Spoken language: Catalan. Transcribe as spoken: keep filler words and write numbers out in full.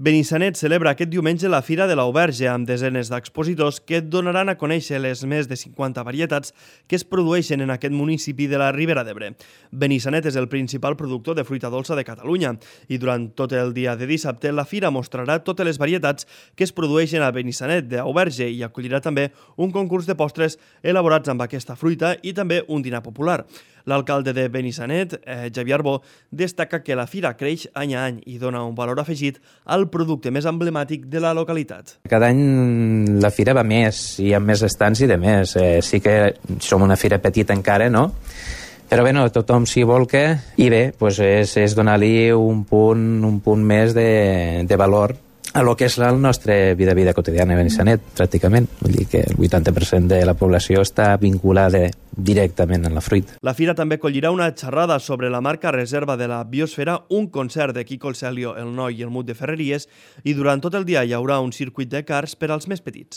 Benissanet celebra aquest diumenge la Fira de l'Auberge amb desenes d'expositors que donaran a conèixer les més de cinquanta varietats que es produeixen en aquest municipi de la Ribera d'Ebre. Benissanet és el principal productor de fruita dolça de Catalunya i durant tot el dia de dissabte la fira mostrarà totes les varietats que es produeixen a Benissanet d'Auberge i acollirà també un concurs de postres elaborats amb aquesta fruita i també un dinar popular. L'alcalde de Benissanet, eh, Xavier Arbó, destaca que la fira creix any a any i dona un valor afegit al producte més emblemàtic de la localitat. Cada any la fira va més i amb més estants i de més. Eh, sí que som una fira petita encara, no? Però bé, no, tothom s'hi volca i bé, doncs és, és donar-li un punt, un punt més de, de valor a lo que és la nostra vida vida quotidiana a Benissanet, pràcticament. Vull dir que el vuitanta per cent de la població està vinculada directament a la fruita. La fira també acollirà una xerrada sobre la marca reserva de la biosfera, un concert de Quico el Celio, el Noi i el Mut de Ferreries i durant tot el dia hi haurà un circuit de karts per als més petits.